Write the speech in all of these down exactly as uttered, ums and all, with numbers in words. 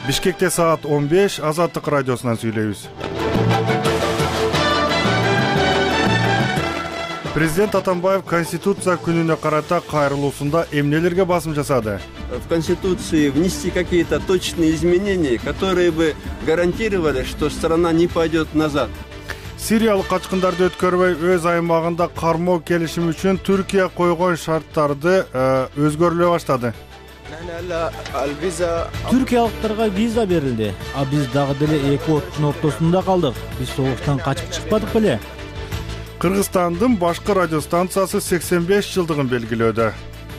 Бишкекте саат он беш, Азаттык радиосунан сүйлөйбүз. Президент Атамбаев Конституция күнүнө карата кайрылуусунда эмнелерге басым жасады? В Конституции внести какие-то точные изменения, которые бы гарантировали, что страна не пойдет назад. Сириялык качкындарды өткөрбөй өз аймагында кармоо келишими үчүн Түркия койгон шарттарды өзгөрүлө баштады. Түркиялыктарга виза берилди, а биз дагы деле эки оттун ортосунда калдык. Биз согуштан качып чыкпадык беле? Кыргызстандын башкы радиостанциясы сексен беш жылдыгын белгилөөдө.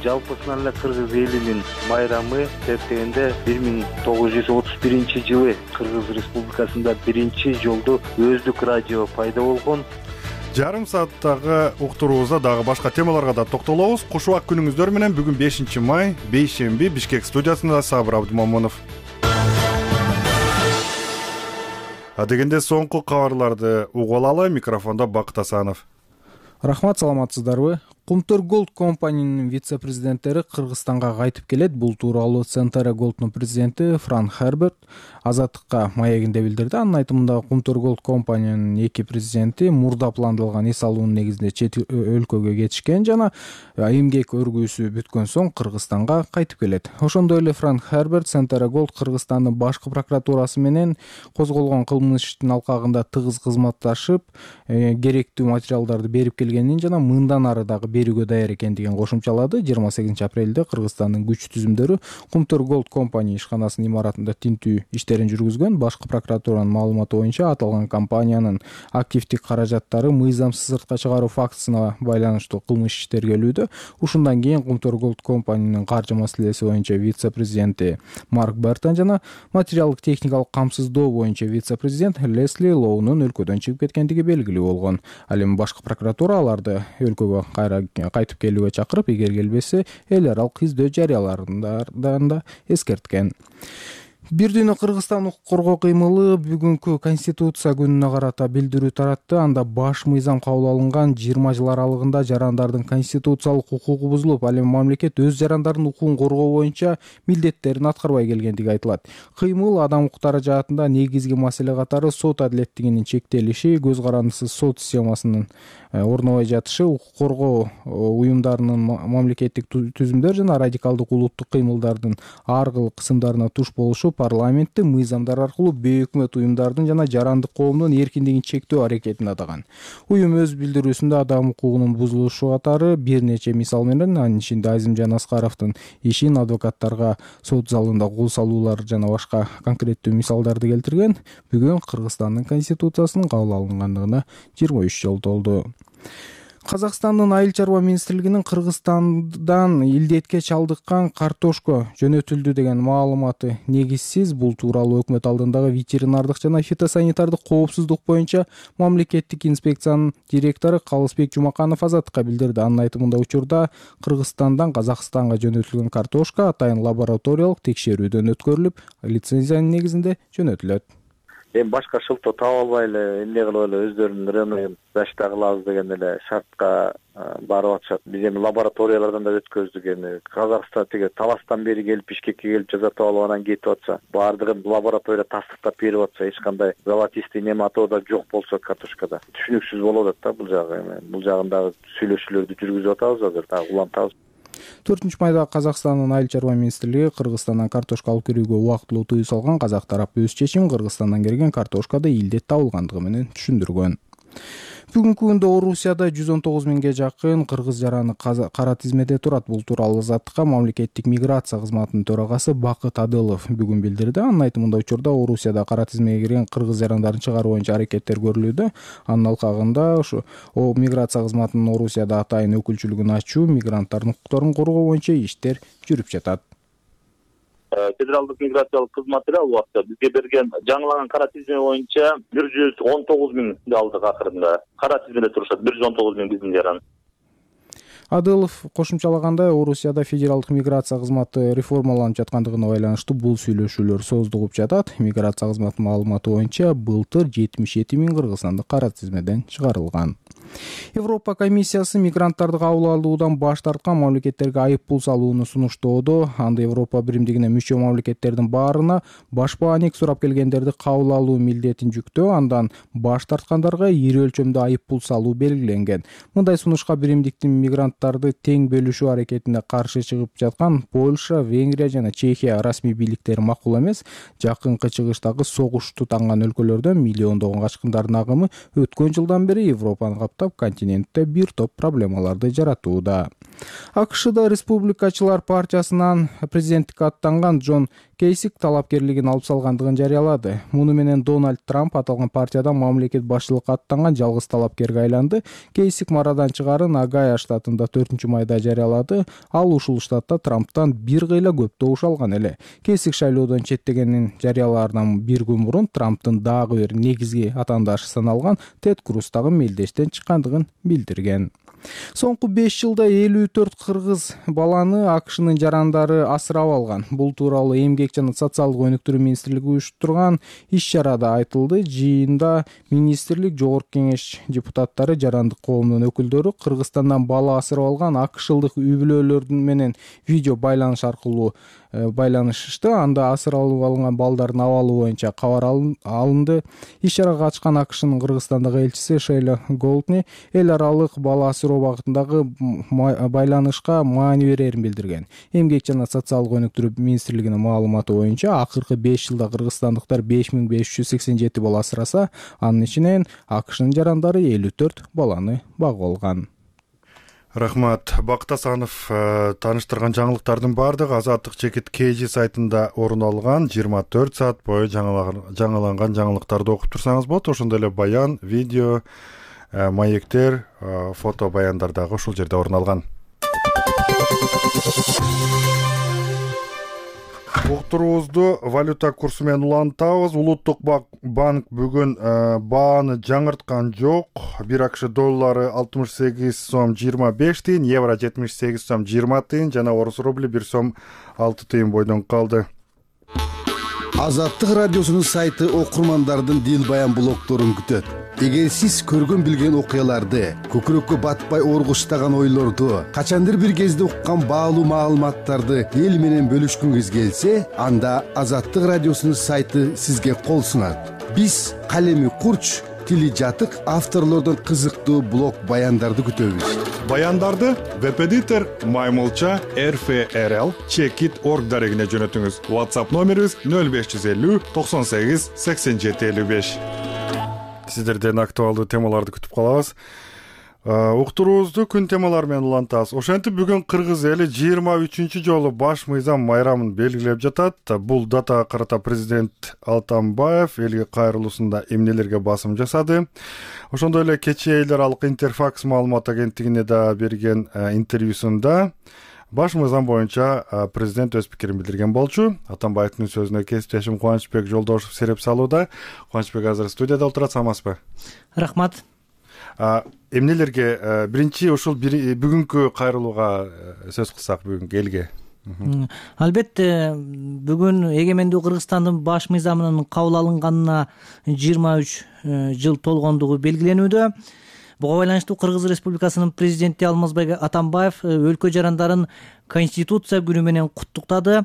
Жалпысынан эле кыргыз элинин майрамы эсептегенде бир миң тогуз жүз отуз биринчи жылы Кыргыз Республикасында биринчи жолду өздүк радио пайда болгон. Жарым сааттагы уктуруубузда дагы башка темаларга да токтолобуз. Куш убак күнүңүздөр менен бүгүн бешинчи май, бейшемби, Бишкек студиясында Сабыр Абдымомунов. Адегенде соңку кабарларды угуп алалы, микрофондо Бакыт Асанов. Рахмат, саламатсыздарбы? Кумтөр Голд компаниянын вице-президенттери Кыргызстанга кайтып келет. Бул тууралуу Центара Голддун президенти Франк Херберт Азаттыкка маегинде билдирди. Анын айтымында Кумтөр Голд компаниянын эки президенти мурда пландалган эс алуунун негизинде чет өлкөгө кетишкен жана эмгек өргүүсү бүткөн соң Кыргызстанга кайтып келет. Ошондой эле Франк Херберт Центара Голд Кыргызстандын башкы прокуратурасы менен козголгон кылмыш иштин алкагында тыгыз кызматташып, керектүү материалдарды берип келгенин жана мындан ары дагы берүүгө даяр экендигин кошумчалады. жыйырма сегизинчи апрелде Кыргызстандын күч түзүмдөрү Кумтөр Голд компания ишканасынын имаратында тинтүү иштерин жүргүзгөн. Башкы прокуратуранын маалыматы боюнча аталган компаниянын активдик каражаттары мыйзамсыз сыртка чыгаруу фактысына байланыштуу кылмыш иштер келүүдө. Ушундан кийин Кумтөр Голд компаниянын каржы маселеси боюнча вице-президенти Марк Бертон жана материалдык техникалык камсыздоо боюнча вице-президент Лесли Лоунун өлкөдөн чыгып кеткендиги белгилүү болгон. Ал эми башкы прокуратура аларды өлкөгө кайра кайтып келүүгө чакырып, эгер келбесе эл аралык издөө жарыяларынан да эскерткен. Бир дүйнө Кыргызстан укук коргоо кыймылы бүгүнкү Конституция күнүнө карата билдирүү таратты. Анда баш мыйзам кабыл алынган жыйырма жыл аралыгында жарандардын конституциялык укугу бузулуп, ал эми мамлекет өз жарандардын укугун коргоо боюнча милдеттерин аткарбай келгендиги айтылат. Кыймыл адам укуктары жаатында негизги маселе катары сот адилеттигинин чектелиши, көз карандысыз сот системасынын орнобой жатышы, укук коргоо уюмдарынын мамлекеттик түзүмдөр жана радикалдык улуттук кыймылдардын ар кыл кысымдарына туш болушу, парламентти мыйзамдар аркылуу бейөкмөт уюмдардын жана жарандык коомдун эркиндигин чектөө аракетин атаган. Уюм өз билдирүүсүндө адам укугунун бузулушу катары бир нече мисал менен, анын ичинде Азимжан Аскаровдун ишин, адвокаттарга сот залында кол салуулар жана башка конкреттүү мисалдарды келтирген. Бүгүн Кыргызстандын конституциясынын кабыл алынгандыгына жыйырма үч жыл толду. Казакстандын айыл чарба министрлигинин Кыргызстандан илдетке чалдыккан картошка жөнөтүлдү деген маалыматы негизсиз. Бул тууралуу өкмөт алдындагы ветеринардык жана фитосанитардык коопсуздук боюнча мамлекеттик инспекциянын директору Калысбек Жумаканов Азаттыкка билдирди. Анын айтымында учурда Кыргызстандан Казакстанга жөнөтүлгөн картошка атайын лабораториялык текшерүүдөн өткөрүлүп, лицензиянын негизинде жөнөтүлөт. Эми башка шылтоо таап албай эле эмне кылып эле өздөрүнүн рыногун зачта кылабыз деген эле шартка барып атышат. Биз эми лабораториялардан да өткөздүк. Эми Казакстан тиги Таластан бери келип Бишкекке келип жазатып алып анан кетип атса, баардыгын лаборатория тастыктап берип атса, эч кандай золотистый нематода жок болсо картошкада түшүнүксүз болуп атат да бул жагы. Эми бул жагындагы сүйлөшүүлөрдү жүргүзүп атабыз азыр, дагы улантабыз. төртүнчү майда Казакстандын айыл чарба министрлиги Кыргызстандан картошка алып кирүүгө убактылуу тыюу салган. Казак тарап өз чечим Кыргызстандан келген картошкада илдет табылгандыгы менен түшүндүргөн. Бүгүнкү күндө Орусияда жүз он тогуз миңге жакын кыргыз жараны кара тизмеде турат. Бул тууралуу Азаттыкка мамлекеттик миграция кызматынын төрагасы Бакыт Адылов бүгүн билдирди. Анын айтымында учурда Орусияда кара тизмеге кирген кыргыз жарандарын чыгаруу боюнча аракеттер көрүлүүдө. Анын алкагында ошо миграция кызматынын Орусияда атайын өкүлчүлүгүн ачуу, мигранттардын укуктарын коргоо боюнча иштер жүрүп жатат. Федералдык миграциялык кызматы ал убакта бизге берген жаңылаган кара тизме боюнча бир жүз он тогуз миңди алдык акырында. Кара тизмеде турушат бир жүз он тогуз миң биздин жаран. Адылов кошумчалагандай, Орусияда федералдык миграция кызматы реформаланып жаткандыгына байланыштуу бул сүйлөшүүлөр сооздугуп жатат. Миграция кызматынын маалыматы боюнча былтыр жетимиш эки миң кыргызстандык кара тизмеден чыгарылган. Европа комиссиясы мигранттарды кабыл алуудан баш тарткан мамлекеттерге айып пул салууну сунуштоодо. Анда Европа биримдигине мүчө мамлекеттердин баарына башпаанек сурап келгендерди кабыл алуу милдетин жүктөө, андан баш тарткандарга ири өлчөмдө айып пул салуу белгиленген. Мындай сунушка биримдиктин мигранттарды тең бөлүшүү аракетине каршы чыгып жаткан Польша, Венгрия жана Чехия расмий бийликтери макул эмес. Жакынкы чыгыштагы согуш тутанган өлкөлөрдөн миллиондогон качкындардын агымы өткөн жылдан бери Европаны каптап, континентте бир топ проблемаларды жаратууда. АКШда республикачылар партиясынан президенттикке аттанган Джон Кейсик талапкерлигин алып салгандыгын жарыялады. Муну менен Дональд Трамп аталган партиядан мамлекет башчылыкка аттанган жалгыз талапкерге айланды. Кейсик марадан чыгарын Огайо штатында төртүнчү майда жарыялады. Ал ушул штатта Трамптан бир кыйла көп добуш алган эле. Кейсик шайлоодон четтегенин жарыялаардан бир күн мурун Трамптын дагы бир негизги атаандашы саналган Тед Круз дагы мелдештен чыккандыгын билдирген. Соңку беш жылда элүү төрт кыргыз баланы АКШнын жарандары асырап алган. Бул тууралуу Эмгек жана социалдык өнүктүрүү министрлиги уюштурган иш-чарада айтылды. Жыйында министрлик, жогорку кеңеш депутаттары, жарандык коомдун өкүлдөрү Кыргызстандан бала асырап алган АКШлык үй-бүлөлөр менен видео байланыш аркылуу байланышышты. Анда асыралып алынган балдардын абалы боюнча кабар алынды. Иш-чарага катышкан АКШнын Кыргызстандагы элчиси Шейла Голдни эл аралык бала асыроо багытындагы байланышка маани берерин билдирген. Эмгек жана социалдык өнүктүрүү министрлигинин маалыматы боюнча акыркы беш жылда кыргызстандыктар беш миң беш жүз сексен жети бала асыраса, анын ичинен АКШнын жарандары элүү төрт баланы багып алган. Рахмат. Бакыт Асанов тааныштырган жаңылыктардын баардыгы Азаттык чекит Кж сайтында орун алган. жыйырма төрт саат бою жаңыланган жаңылыктарды окуп турсаңыз болот. Ошондой эле баян, видео, маектер, фото баяндар дагы ушул жерде орун алган. Уктуруубузду валюта курсу менен улантабыз. Улуттук банк бүгүн бааны жаңырткан жок. Бир АКШ доллары алтымыш сегиз сом жыйырма беш тыйын, евро жетимиш сегиз сом жыйырма тыйын жана орус рубли бир сом алты тыйын бойдон калды. Азаттык радиосунун сайты окурмандардын дил баян блогдорун күтөт. Эгер сиз көргөн билген окуяларды, көкүрөккө батпай оргуштаган ойлорду, качандыр бир кезде уккан баалуу маалыматтарды эл менен бөлүшкүңүз келсе, анда Азаттык радиосунун сайты сизге кол сунат. Биз калеми курч, тили жатык авторлордон кызыктуу блог баяндарды күтөбүз. Баяндарды веб-эдитор Маймылча эр эф эр эл чекит точка орг дарегине жөнөтүңүз. WhatsApp номерибиз нөл беш жүз элүү токсон сегиз сексен жети элүү беш. Сиздерден актуалдуу темаларды күтүп калабыз. Уктуруубузду күн темалары менен улантабыз. Ошентип бүгүн кыргыз эли жыйырма үчүнчү жолу баш мыйзам майрамын белгилеп жатат. Бул датага карата президент Атамбаев элге кайрылуусунда эмнелерге басым жасады? Ошондой эле кечээ эл аралык Интерфакс маалымат агенттигине да берген интервьюсунда баш мыйзам боюнча президент өз пикирин билдирген болчу. Атамбаевдин сөзүнө кесиптешим Кубанычбек Жолдошев сереп салууда. Кубанычбек азыр студияда отурат, саламатсызбы? Рахмат. Эмнелерге биринчи ушул бүгүнкү кайрылууга сөз кылсак, бүгүнкү элге? Албетте, бүгүн эгемендүү Кыргызстандын баш мыйзамынын кабыл алынганына жыйырма үч жыл толгондугу белгиленүүдө. Буга байланыштуу Кыргыз Республикасынын президенти Алмазбек Атамбаев өлкө жарандарын Конституция күнү менен куттуктады.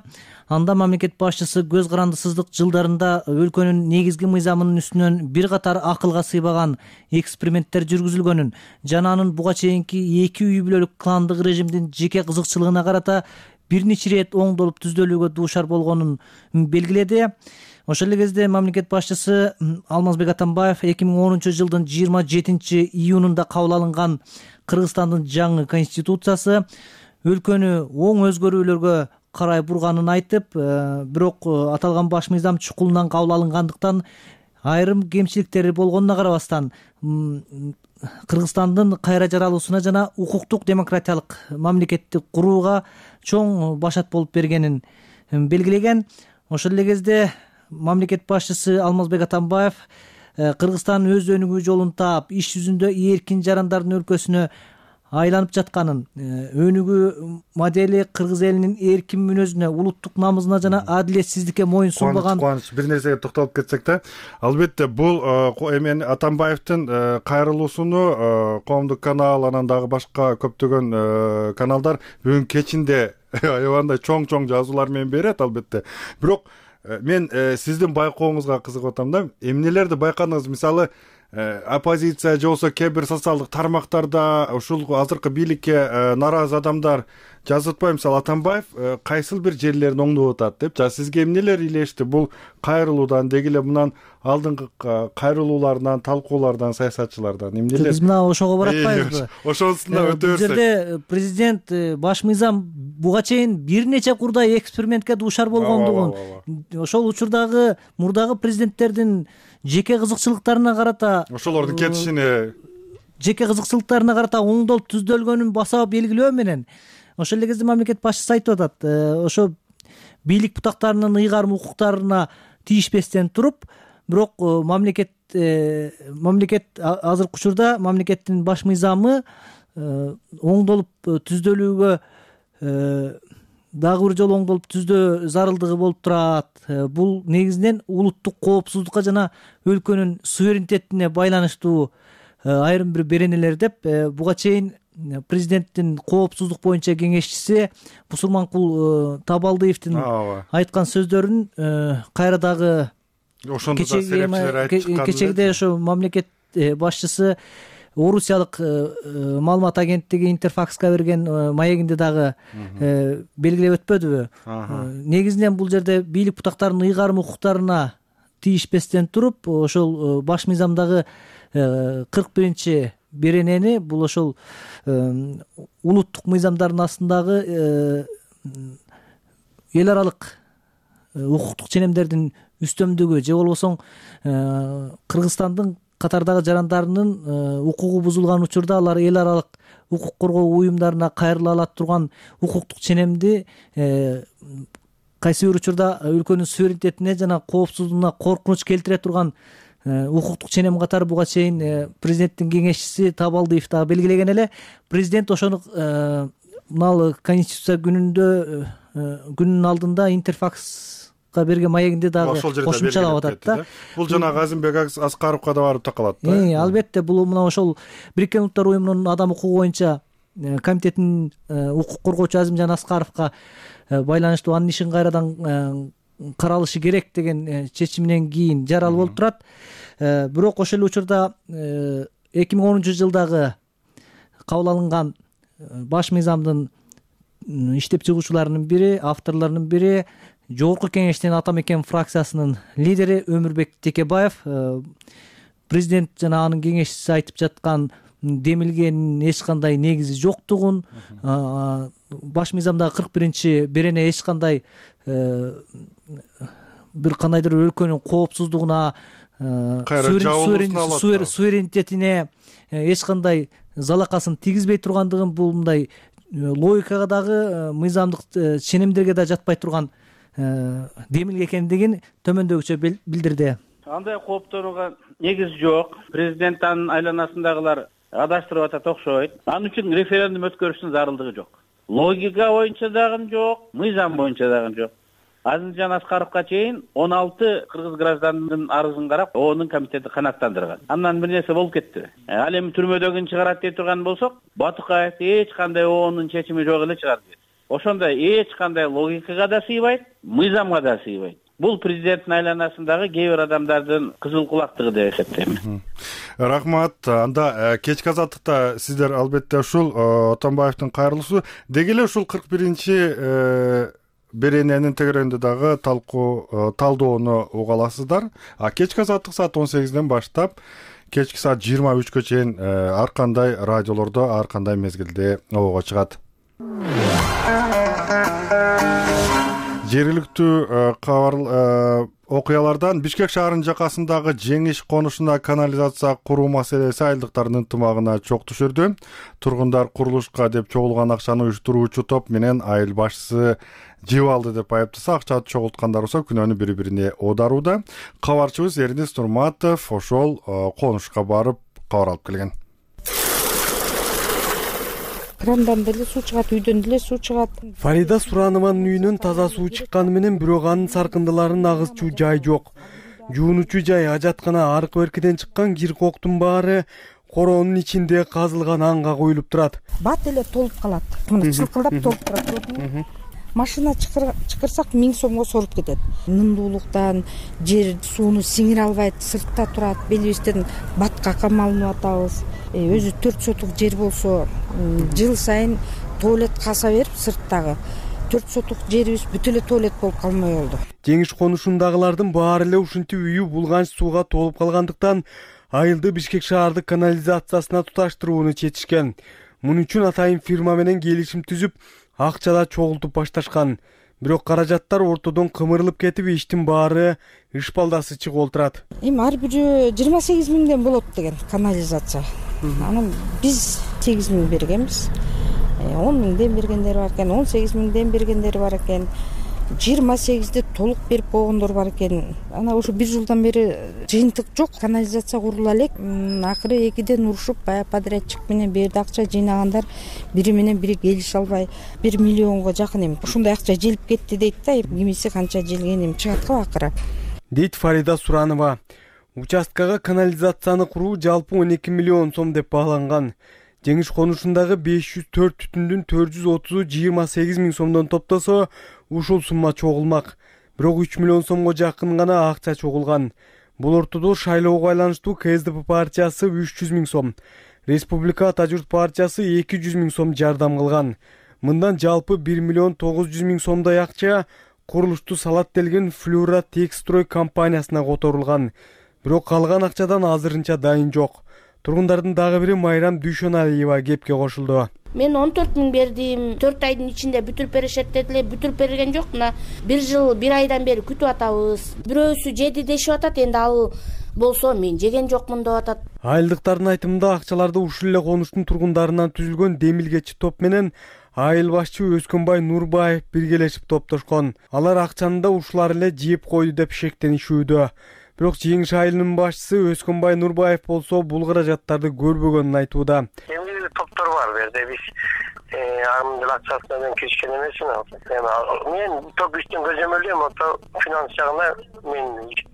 Анда мамлекет башчысы көз карандысыздык жылдарында өлкөнүн негизги мыйзамынын үстүнөн бир катар акылга сыйбаган эксперименттер жүргүзүлгөнүн жана анын буга чейинки эки үй бүлөлүк кландык режимдин жеке кызыкчылыгына карата бир нече ирет оңдолуп түздөлүүгө дуушар болгонун белгиледи. Ошол эле кезде мамлекет башчысы Алмазбек Атамбаев эки миң онунчу жылдын жыйырма жетинчи июнунда кабыл алынган Кыргызстандын жаңы конституциясы өлкөнү оң өзгөрүүлөргө карай бурганын айтып, бирок аталган баш мыйзам чукулунан кабыл алынгандыктан айрым кемчиликтери болгонуна карабастан Кыргызстандын кайра жаралуусуна жана укуктук демократиялык мамлекетти курууга чоң башат болуп бергенин белгилеген. Ошол эле кезде мамлекет башчысы Алмазбек Атамбаев Кыргызстан өз өнүгүү жолун таап, иш жүзүндө эркин жарандардын өлкөсүнө айланып жатканын, өнүгүү модели кыргыз элинин эркин мүнөзүнө, улуттук намысына жана адилетсиздикке моюн сунбаган. Кубаныч, бир нерсеге токтолуп кетсек да, албетте бул эми Атамбаевдин кайрылуусуну Коомдук канал, анан дагы башка көптөгөн каналдар бүгүн кечинде аябандай чоң-чоң жазуулар менен берет албетте. Бирок мен сиздин байкооңузга кызыгып атам да, эмнелерди байкадыңыз? Мисалы, оппозиция же болбосо кээ бир социалдык тармактарда ушул азыркы бийликке наразы адамдар жазып атпайбы? Мисалы, Атамбаев кайсыл бир жерлерин оңдоп атат деп. Жа сизге эмнелер илешти бул кайрылуудан, деги эле мындан алдыңкы кайрылуулардан, талкуулардан, саясатчылардан эмнелер? Биз мына ошого баратпайбызбы? Ошонусунда өтө берсек. Бул жерде президент, баш мыйзам буга чейин бир нече курдай экспериментке дуушар болгондугун, ошол учурдагы мурдагы президенттердин жеке кызыкчылыктарына карата, ошолордун кетишине, жеке кызыкчылыктарына карата оңдолуп түздөлгөнүн баса белгилөө менен ошол эле кезде мамлекет башчысы айтып атат, ошо бийлик бутактарынын ыйгарым укуктарына тийишпестен туруп, бирок мамлекет мамлекет азыркы учурда мамлекеттин баш мыйзамы оңдолуп түздөлүүгө, дагы бир жолу оңдолуп түздөө зарылдыгы болуп турат. Бул негизинен улуттук коопсуздукка жана өлкөнүн суверенитетине байланыштуу айрым бир беренелер деп буга чейин президенттин коопсуздук боюнча кеңешчиси Бусурманкул Табалдиевдин айткан сөздөрүн кайра дагы кечегиде ошо мамлекет башчысы Орусиялык маалымат агенттиги Интерфакска берген маегинде дагы белгилеп өтпөдүбү? Негизинен бул жерде бийлик бутактарынын ыйгарым укуктарына тийишпестен туруп, ошол баш мыйзамдагы кырк биринчи беренени, бул ошол улуттук мыйзамдардын астындагы эл аралык укуктук ченемдердин үстөмдүгү же болбосо Кыргызстандын катардагы жарандарынын укугу бузулган учурда алар эл аралык укук коргоо уюмдарына кайрыла алат турган укуктук ченемди кайсы бир учурда өлкөнүн суверенитетине жана коопсуздугуна коркунуч келтире турган укуктук ченем катары буга чейин президенттин кеңешчиси Табалдиев дагы белгилеген эле. Президент ошону мына Конституция күнүндө күнүнүн алдында Интерфакска берген маегинде дагы кошумчалап атат да. Бул жанагы Азимбек Аскаровго да барып такалат да. Албетте, бул мына ошол Бириккен Улуттар уюмунун адам укугу боюнча комитетинин укук коргоочу Азимжан Аскаровго байланыштуу анын ишин кайрадан каралышы керек деген чечиминен кийин жарал болуп турат. Бирок ошол эле учурда эки миң онунчу жылдагы кабыл алынган баш мыйзамдын иштеп чыгуучуларынын бири, авторлорунун бири, Жогорку Кеңештин Ата Мекен фракциясынын лидери Өмүрбек Текебаев президент жана анын кеңешчиси айтып жаткан демилгенин эч кандай негизи жоктугун, баш мыйзамдагы кырк биринчи берене эч кандай бир кандайдыр өлкөнүн коопсуздугуна, суверенитетине эч кандай залакасын тийгизбей тургандыгын, бул мындай логикага дагы мыйзамдык ченемдерге да жатпай турган демилге экендигин төмөндөгүчө билдирди. Андай кооптонууга негиз жок. Президент анын айланасындагылар адаштырып атат окшойт. Анын үчүн референдум өткөрүштүн зарылдыгы жок. Логика боюнча дагы жок, мыйзам боюнча дагы жок. Азимжан Аскаровго чейин он алты кыргыз гражданынын арызын карап, оонун комитети канааттандырган. Андан бир нерсе болуп кетти. Ал эми түрмөдөгүн чыгарат дей турган болсок, Батукаев эч кандай оонун чечими жок эле чыгарып берди. Ошондой эч кандай логикага да сыйбайт, мыйзамга да сыйбайт. Бул президенттин айланасындагы кээ бир адамдардын кызыл кулактыгы деп эсептейм. Рахмат. Анда кечки азаттыкта сиздер албетте ушул Атамбаевдин кайрылуусу деги эле ушул кырк биринчи берененин тегерегинде дагы талкуу талдоону уга аласыздар. А кечки азаттык саат он сегизден баштап кечки саат жыйырма үчкө чейин ар кандай радиолордо, ар кандай мезгилде обого чыгат. Жергиликтүү кабар окуялардан Бишкек шаарынын жакасындагы Жеңиш конушуна канализация куруу маселеси айылдыктардын ынтымагына чок түшүрдү. Тургундар курулушка деп чогулган акчаны уюштуруучу топ менен айыл башчысы жеп алды деп айыптаса, акчаны чогулткандар болсо күнөөнү бири-бирине оодарууда. Кабарчыбыз Эрнис Турматов ошол конушка барып кабар алып келген. крандан деле суу чыгат, үйдөн деле суу чыгат. Фарида Суранованын үйүнөн таза суу чыкканы менен бирок анын саркындыларын агызчу жай жок. Жуунучу жай, ажаткана, аркы беркиден чыккан кир коктун баары короонун ичинде казылган анга коюлуп турат. Бат эле толуп калат. Мына чылкылдап толуп турат. Машина чыкырсак миң сомго соруп кетет. Нымдуулуктан жер сууну сиңире албайт, сыртта турат, белибизден батка камалынып атабыз. Өзү төрт сотук жер болсо, жыл сайын туалет каса берип сырттагы төрт сотук жерибиз бүт эле туалет болуп калмай болду. Жеңиш конушундагылардын баары эле ушинтип үйү булганч сууга толуп калгандыктан айылды Бишкек шаардык канализациясына туташтырууну чечишкен. Муну үчүн атайын фирма менен келишим түзүп, акча да чогултуп башташкан. Бирок каражаттар ортодон кымырылып кетип, иштин баары ышпалдасы чыгып олтурат. Эми ар бирөө жыйырма сегиз миңден болот деген канализация. Анан биз сегиз миң бергенбиз. он миңден бергендер бар экен, он сегиз миңден бергендер бар экен. жыйырма сегизди толук берип койгондор бар экен. Ана ушу бир жылдан бери жыйынтык жок, канализация курула элек. Акыры экиден урушуп, баягы подрядчик менен бул жерде акча жыйнагандар бири менен бири келише албай бир миллионго жакын эми ушундай акча желип кетти дейт да. Кимиси канча желген эми чыгат го акыры. Дейт Фарида Суранова. Участкага канализацияны куруу жалпы он эки миллион сом деп бааланган. Жеңиш конушундагы беш жүз төрт түтүндүн төрт жүз отузу жыйырма сегиз миң сомдон топтосо, ушул сумма чогулмак. Бирок үч миллион сомго жакын гана акча чогулган. Бул ортодо шайлоого байланыштуу КСДП партиясы үч жүз миң сом, Республика Ата журт партиясы эки жүз миң сом жардам кылган. Мындан жалпы бир миллион тогуз жүз миң сомдой акча курулушту салат делген Флюра Текстрой компаниясына которулган. Бирок калган акчадан азырынча дайын жок. Тургундардын дагы бири Майрам Дүйшөналиева кепке кошулду. Мен он төрт миң бердим, төрт айдын ичинде бүтүрүп беришет дедилер, бүтүрүп берген жок. Мына бир жыл, бир айдан бери күтүп атабыз. Бирөөсү жеди дешип атат, энди ал болсо мен жеген жокмун деп атат. Айылдыктардын айтымында акчаларды ушул эле конуштун тургундарынан түзүлгөн демилгечи топ менен айыл башчы Өскөнбай Нурбаев биргелешип топтошкон. Алар акчаны да ушулар эле жеп койду деп шектенишүүдө. Бирок Жеңиш айылынын башчысы Өскөнбай Нурбаев болсо бул каражаттарды көрбөгөнүн айтууда. Эмне топтор бар бу жерде, биз андын акчасы менен киришкен эмесмин. Мен топ иштин көзөмөлдөйм, ото финанс жагына мен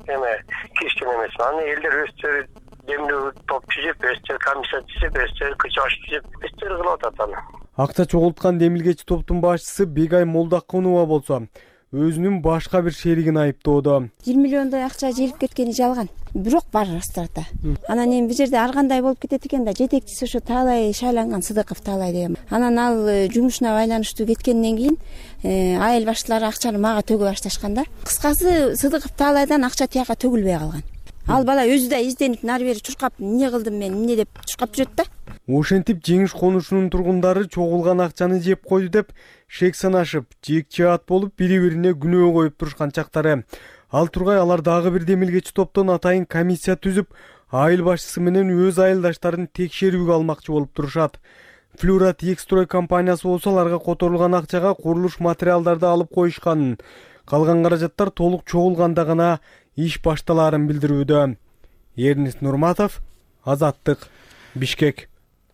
эме киришкен эмесмин. Аны элдер өздөрү демилүү топ түзүп, өздөрү комиссия түзүп, өздөрү күч түзүп, өздөрү кылып атат аны. Акча чогулткан демилгечи топтун башчысы Бегай Молдакунова болсо өзүнүн башка бир шеригин айыптоодо. бир миллиондой акча желип кеткени жалган. Бирок бар растрата. Анан эми бул жерде ар кандай болуп кетет экен да, жетекчиси ошо Таалай шайланган Сыдыков Таалай деген. Анан ал жумушуна байланыштуу кеткенден кийин айыл башчылары акчаны мага төгө башташкан да. Кыскасы Сыдыков Таалайдан акча тияка төгүлбөй калган. Ал бала өзү да изденип нары бери чуркап, эмне кылдым мен, эмне деп чуркап жүрөт да. Ошентип Жеңиш конушунун тургундары чогулган акчаны жеп койду деп шек санашып, жекчаат болуп бири-бирине күнөө коюп турушкан чактары. Ал тургай алар дагы бир демилгечи топтон атайын комиссия түзүп, айыл башчысы менен өз айылдаштарын текшерүүгө алмакчы болуп турушат. Флюра Текстрой компаниясы болсо аларга которулган акчага курулуш материалдарды алып коюшканын, калган каражаттар толук чогулганда гана иш башталаарын билдирүүдө. Эрнест Нурматов, Азаттык, Бишкек.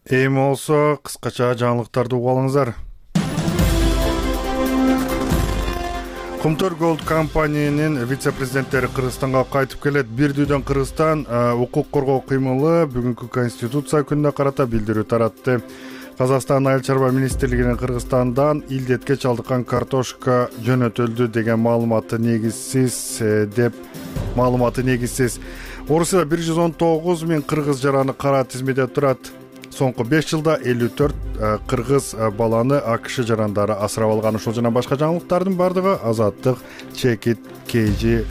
Эми болсо кыскача жаңылыктарды угуп алыңыздар. Кумтөр Голд компаниянын вице-президенттери Кыргызстанга кайтып келет. Бир дүйдөн Кыргызстан укук коргоо кыймылы бүгүнкү Конституция күнүнө карата билдирүү таратты. Казакстан айыл чарба министрлигинин Кыргызстандан илдетке чалдыккан картошка жөнөтүлдү деген маалыматы негизсиз деп маалыматы негизсиз. Орусияда бир жүз он тогуз миң кыргыз жараны кара тизмеде турат. Соңку беш жылда элүү төрт кыргыз баланы АКШ жарандары асырап алган. Ушул жана башка жаңылыктардын бардыгы Азаттык Чекит Кейжи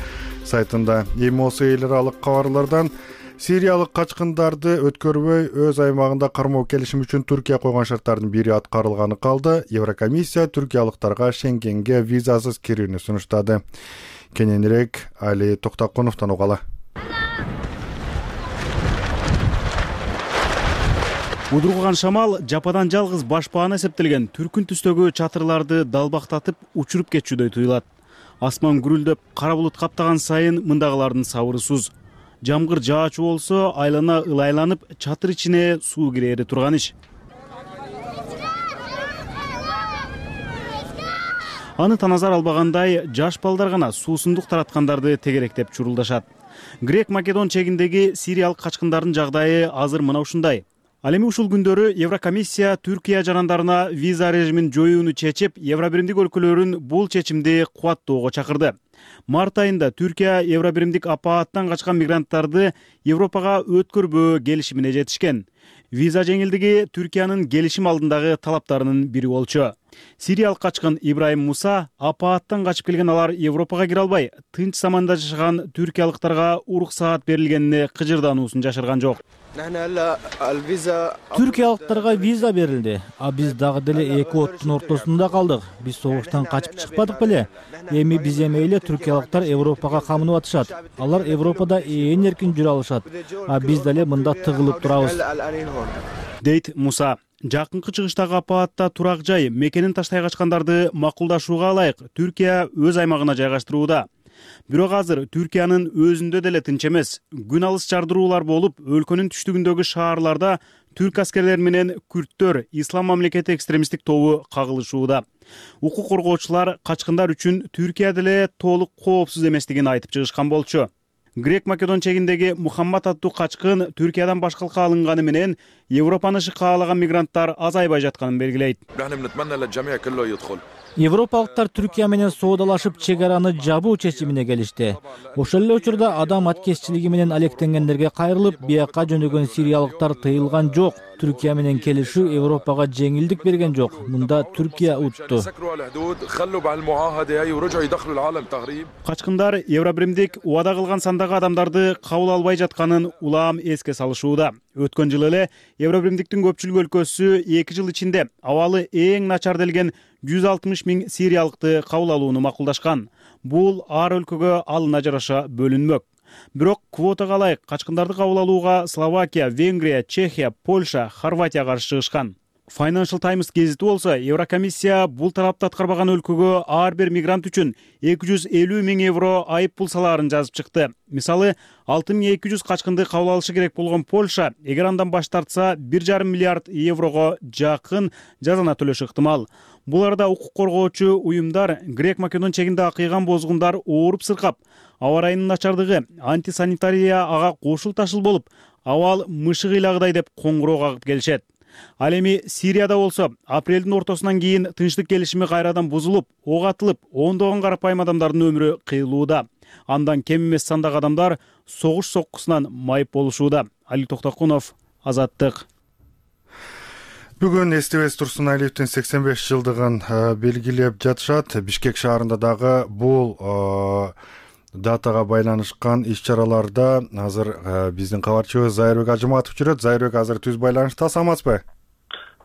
сайтында. Эми осы эл аралык кабарлардан Сириялык качкындарды өткөрбөй өз аймагында кармоо келишим үчүн Түркия койгон шарттардын бири аткарылганы калды. Еврокомиссия түркиялыктарга Шенгенге визасыз кирүүнү сунуштады. Кененирээк Али Токтокуновдон угалы. Удурган шамал жападан жалгыз башпаана эсептелген түркүн түстөгү чатырларды далбактатып учуруп кетчүдөй туюлат. Асман гүрүлдөп, кара булут каптаган сайын мындагылардын сабыры суз. Жамгыр жаачу болсо айлана ылайланып, чатыр ичине суу кирери турган иш. Аны таназар албагандай жаш балдар гана суусундук тараткандарды тегеректеп чурулдашат. Грек-Македон чегиндеги сириялык качкындардын жагдайы азыр мына ушундай. Ал эми ушул күндөрү Еврокомиссия Түркия жарандарына виза режимин жоюуну чечип, Евробиримдик өлкөлөрүн бул чечимди кубаттоого чакырды. Март айында Түркия Евробиримдик апааттан качкан мигранттарды Европага өткөрбөө келишимине жетишкен. Виза жеңилдиги Түркиянын келишим алдындагы талаптарынын бири болчу. Сириялык качкын Ибраим Муса апааттан качып келген алар Европага кире албай, тынч заманда жашаган түркиялыктарга уруксаат берилгенине кыжырдануусун жашырган жок. Түркиялыктарга виза берилди, а биз дагы деле эки оттун ортосунда калдык. Биз согуштан качып чыкпадык беле? Эми биз эмейле түркиялыктар Европага камынып атышат. Алар Европада ээн эркин жүрө алышат, а биз деле мында тыгылып турабыз. Дейт Муса. Жакынкы чыгыштагы апаатта турак жай мекенин таштай качкандарды макулдашууга ылайык Түркия өз аймагына жайгаштырууда. Бирок азыр Түркиянын өзүндө деле тынч эмес. Күн алыс жардыруулар болуп, өлкөнүн түштүгүндөгү шаарларда түрк аскерлери менен күрттөр Ислам мамлекети экстремисттик тобу кагылышууда. Укук коргоочулар качкындар үчүн Түркия деле толук коопсуз эместигин айтып чыгышкан болчу. Грек-Македон чегиндеги Мухаммад аттуу качкын Түркиядан башкалыкка алынганы менен Европаны каалаган мигранттар азайбай жатканын белгилейт. Европалыктар Түркия менен соодалашып чек араны жабуу чечимине келишти. Ошол эле учурда адам аткезчилиги менен алектенгендерге кайрылып, бияка жөнөгөн сириялыктар тыйылган жок. Түркия менен келишүү Европага жеңилдик берген жок. Мында Түркия утту. Качкындар Евробиримдик убада кылган сандагы адамдарды кабыл албай жатканын улам эске салышууда. Өткөн жылы эле Евробиримдиктин көпчүлүк өлкөсү эки жыл ичинде абалы эң начар делген жүз алтымыш миң сириялыкты кабыл алууну макулдашкан. Бул ар өлкөгө алына жараша бөлүнмөк. Бирок квотага ылайык качкындарды кабыл алууга Словакия, Венгрия, Чехия, Польша, Хорватия каршы чыгышкан. Financial Times гезити болсо, Еврокомиссия бул талапты аткарбаган өлкөгө ар бир мигрант үчүн эки жүз элүү миң евро айып пул салаарын жазып чыкты. Мисалы, алты миң эки жүз качкынды кабыл алышы керек болгон Польша, эгер андан баш тартса, бир жарым миллиард еврого жакын жазана төлөшү ыктымал. Бул арада укук коргоочу уюмдар Грек-Македон чегинде акыйган бозгундар ооруп сыркап, аба ырайынын начардыгы, антисанитария ага кошул ташыл болуп, абал мышык ыйлагыдай деп коңгуроо кагып келишет. Ал эми Сирияда болсо, апрелдин ортосунан кийин тынчтык келишими кайрадан бузулуп, ок атылып, ондогон карапайым адамдардын өмүрү кыйылууда. Андан кем эмес сандагы адамдар согуш соккусунан майып болушууда. Али Токтокунов, Азаттык. Бүгүн Эстебес Турсуналиевдин сексен беш жылдыгын белгилеп жатышат. Бишкек шаарында дагы бул датага байланышкан иш-чараларда азыр биздин кабарчыбыз Зайырбек Ажыматов жүрөт. Зайырбек азыр түз байланышта, саламатсызбы?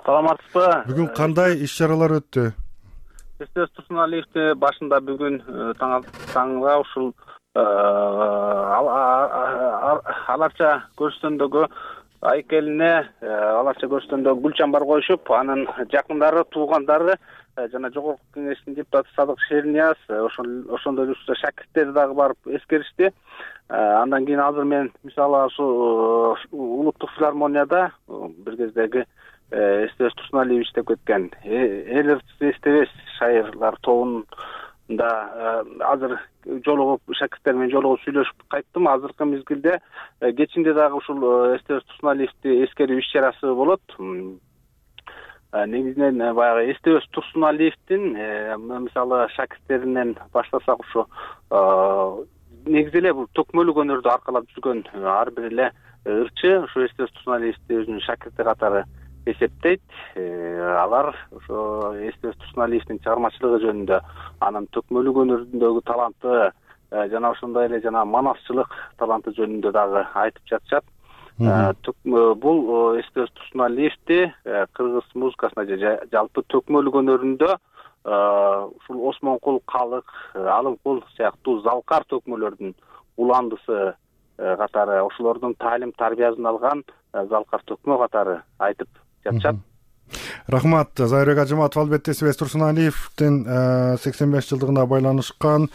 Саламатсызбы? Бүгүн кандай иш-чаралар өттү? Эстебес Турсуналиевди башында бүгүн таңга ушул аларча көрүстөндөгү айкелине аларча көрүстөндөгү гүл чамбар коюшуп, анын жакындары, туугандары жана жогорку кеңештин депутаты Садык Шернияз, ошондой эле шакирттери дагы барып эскеришти. Андан кийин азыр мен мисалы ушул улуттук филармонияда бир кездеги Эстебес Турсуналиев иштеп кеткен Эл Эстебес шайырлар тобунда азыр жолугуп, шакирттер менен жолугуп сүйлөшүп кайттым. Азыркы мезгилде кечинде дагы ушул Эстебес Турсуналиевди эскерүү иш-чарасы болот. Негизинен баягы Эстебес Турсуналиевдин мисалы шакирттеринен баштасак, ушу негизи эле бул төкмөлүк өнөрдү аркалап жүргөн ар бир эле ырчы ушу Эстебес Турсуналиевди өзүнүн шакирти катары эсептейт. Алар ошо Эстебес Турсуналиевдин чыгармачылыгы жөнүндө, анын төкмөлүк өнөрүндөгү таланты жана ошондой эле жана манасчылык таланты жөнүндө дагы айтып жатышат. Бул Эстебес Турсуналиевди кыргыз музыкасына жалпы төкмөлүк өнөрүндө ушул Осмонкул, Калык, Алымкул сыяктуу залкар төкмөлөрдүн уландысы катары, ошолордун таалим тарбиясын алган залкар төкмө катары айтып жатышат. Рахмат. Зайырбек Ажыматов албетте Эстебес Турсуналиевдин сексен беш жылдыгына байланышкан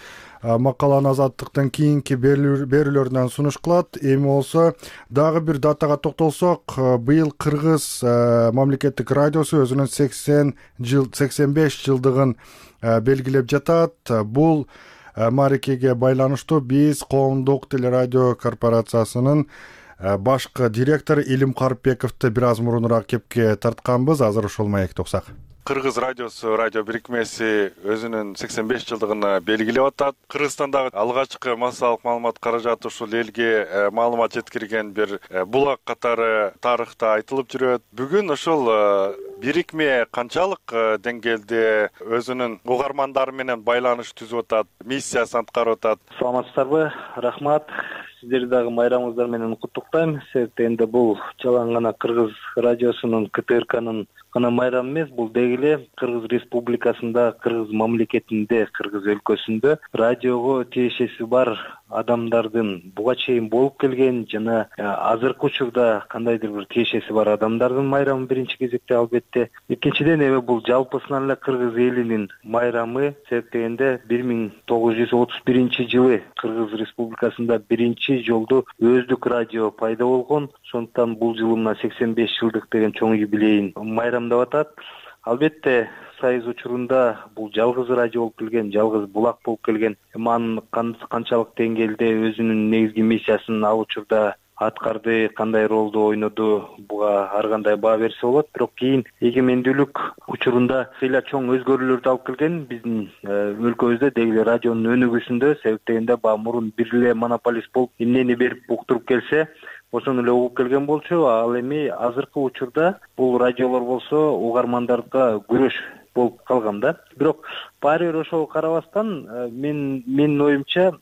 макаланы Азаттыктын кийинки берүүлөрүнөн сунуш кылат. Эми болсо дагы бир датага токтолсок, быйыл Кыргыз мамлекеттик радиосу өзүнүн сексен жыл сексен беш жылдыгын белгилеп жатат. Бул мааракеге байланыштуу биз Коомдук телерадио корпорациясынын башкы директору Илим Карпбековду бир аз мурунураак кепке тартканбыз. Азыр ошол маекти уксак. Кыргыз радиосу, радио бирикмеси өзүнүн сексен беш жылдыгын белгилеп атат. Кыргызстандагы алгачкы массалык маалымат каражаты ушул элге маалымат жеткирген бир булак катары тарыхта айтылып жүрөт. Бүгүн ушул бирикме канчалык деңгээлде өзүнүн угармандары менен байланыш түзүп атат, миссиясын аткарып атат? Саламатсыздарбы? Рахмат. Сиздерди дагы майрамыңыздар менен куттуктайм. Себеби энди бул жалаң гана Кыргыз радиосунун ка тэ эр канын гана майрамы эмес, бул деги эле Кыргыз Республикасында, Кыргыз мамлекетинде, Кыргыз өлкөсүндө радиого тиешеси бар адамдардын буга чейин болуп келген жана азыркы учурда кандайдыр бир тиешеси бар адамдардын майрамы биринчи кезекте албетте. Экинчиден эми бул жалпысынан эле Кыргыз элинин майрамы. Себеп дегенде бир миң тогуз жүз отуз биринчи жылы Кыргыз Республикасында биринчи жолду өздүк радио пайда болгон. Ошондуктан бул жылы мына сексен беш жылдык деген чоң юбилейин майрамдап атат. Албетте Союз учурунда бул жалгыз радио болуп келген, жалгыз булак болуп келген. Эми анын канчалык деңгээлде өзүнүн негизги миссиясын ал учурда аткарды, кандай ролду ойноду, буга ар кандай баа берсе болот. Бирок кийин эгемендүүлүк учурунда ыйла чоң өзгөрүүлөрдү алып келген биздин өлкөбүздө, деги эле радионун өнүгүүсүндө. Себеп дегенде баягы мурун бир эле монополист болуп эмнени берип уктуруп келсе, ошону эле угуп келген болчу. Ал эми азыркы учурда бул радиолор болсо угармандарга күрөш болуп калган да. Бирок баары бир ошого карабастан мен менин оюмча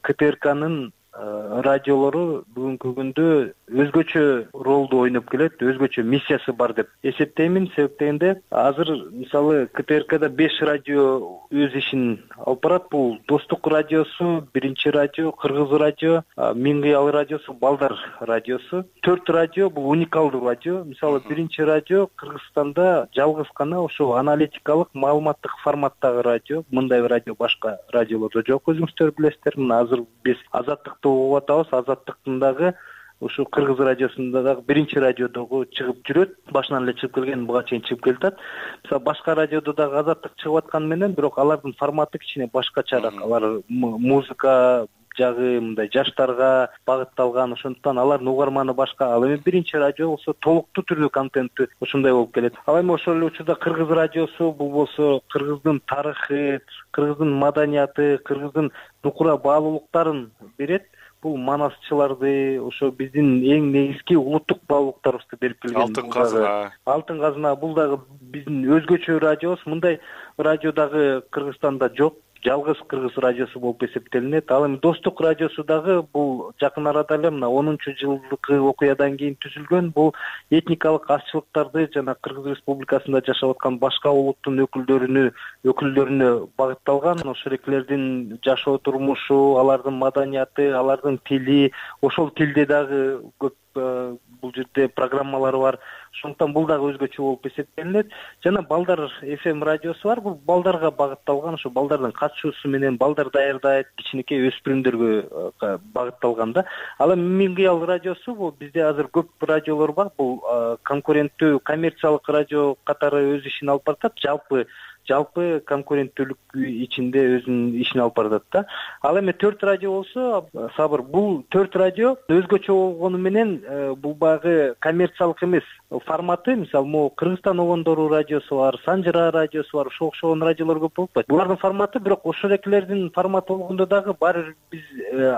ка тэ эр канын радиолору бүгүнкү күндө өзгөчө ролду ойноп келет, өзгөчө миссиясы бар деп эсептеймин. Себеп дегенде азыр мисалы ка тэ эр када беш радио өз ишин алып барат. Бул Достук радиосу, Биринчи радио, Кыргыз радио, Миң кыял радиосу, Балдар радиосу. Төрт радио бул уникалдуу радио. Мисалы Биринчи радио Кыргызстанда жалгыз гана ошо аналитикалык, маалыматтык форматтагы радио. Мындай радио башка радиолордо жок, өзүңүздөр билесиздер. Мына азыр биз Азаттыкты угуп атабыз. Азаттыктын дагы ушу Кыргыз радиосунда дагы Биринчи радиодогу чыгып жүрөт. Башынан эле чыгып келген, буга чейин чыгып келатат. Мисалы башка радиодо дагы Азаттык чыгып атканы менен, бирок алардын форматы кичине башкачараак. Алар музыка жагы мындай жаштарга багытталган, ошондуктан алардын угарманы башка. Ал эми Биринчи радио болсо толуктуу түрдүү контенти ушундай болуп келет. Ал эми ошол эле учурда Кыргыз радиосу бул болсо Кыргыздын тарыхы, Кыргыздын маданияты, Кыргыздын нукура баалуулуктарын берет. Бул манасчыларды, ошо биздин эң негизги улуттук баалуулуктарыбызды берип келген. Алтын казына. Алтын казына бул дагы биздин өзгөчө радиобуз. Мындай радио дагы Кыргызстанда жок. Жалгыз Кыргыз радиосу болуп эсептелинет. Ал эми Достук радиосу дагы бул жакын арада эле мына онунчу жылдык окуядан кийин түзүлгөн. Бул этникалык азчылыктарды жана Кыргыз Республикасында жашап аткан башка улуттун өкүлдөрүнө өкүлдөрүнө багытталган. Ошол эклердин жашоо турмушу, алардын маданияты, алардын тили, ошол тилде дагы көп бул жерде программалары бар. Ошондуктан бул дагы өзгөчө болуп эсептелинет. Жана Балдар эф эм радиосу бар. Бул балдарга багытталган, ошо балдардын катышуусу менен балдар даярдайт, кичинекей өспүрүмдөргө багытталган да. Ал эми Миң кыял радиосу бул бизде азыр көп радиолор бар. Бул конкуренттүү коммерциялык радио катары өз ишин алып баратат. Жалпы жалпы конкуренттүүлүк ичинде өзүнүн ишин алып баратат да. Ал эми төрт радио болсо, Сабыр, бул төрт радио өзгөчө болгону менен бул багы коммерциялык эмес форматы. Мисалы, могу Кыргызстан огондору радиосу бар, Санжыра радиосу бар, ошого окшогон радиолор көп болуп атпайбы? Булардын форматы, бирок ошол эклердин форматы болгондо дагы баары биз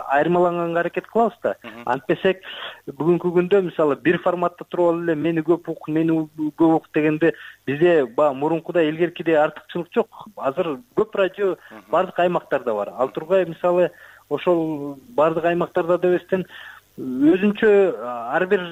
айырмаланганга аракет кылабыз да. Антпесек бүгүнкү күндө мисалы бир форматта туруп алып эле мени көп ук, мени көп ук дегенде бизде баягы мурункудай илгеркидей артыкчылык жок. Азыр көп радио бардык аймактарда бар. Ал тургай мисалы ошол бардык аймактарда дебестен өзүнчө ар бир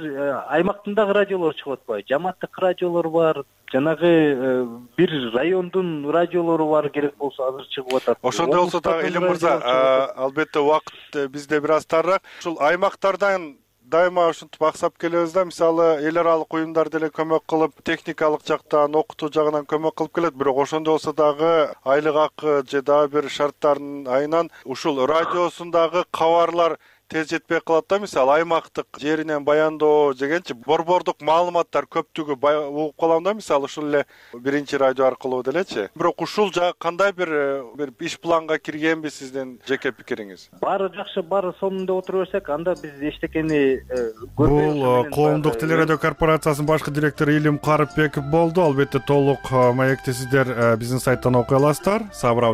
аймактын дагы радиолору чыгып атпайбы? Жамааттык радиолор бар, жанагы бир райондун радиолору бар, керек болсо азыр чыгып атат. Ошондой болсо дагы Илим мырза, албетте убакыт бизде бир аз тарыраак. Ушул аймактардан дайыма ушинтип аксап келебиз да. Мисалы эл аралык уюмдар деле көмөк кылып, техникалык жактан, окутуу жагынан көмөк кылып келет, бирок ошондой болсо дагы айлык акы же дагы бир шарттардын айынан ушул радиосундагы кабарлар тез жетпей калат да. Мисалы аймактык жеринен баяндоо дегенчи борбордук маалыматтар көптүгү угуп калам да. Мисалы ушул эле биринчи радио аркылуу делечи. Бирок ушул жагы кандай бир бир иш планга киргенби сиздин жеке пикириңиз? Баары жакшы, баары сонунда отура берсек, анда биз эчтекени Бул коомдук телерадио корпорациясынын башкы директору Илим Карыпбеков болду. Албетте толук маекти сиздер биздин сайттан окуй аласыздар. Сабыр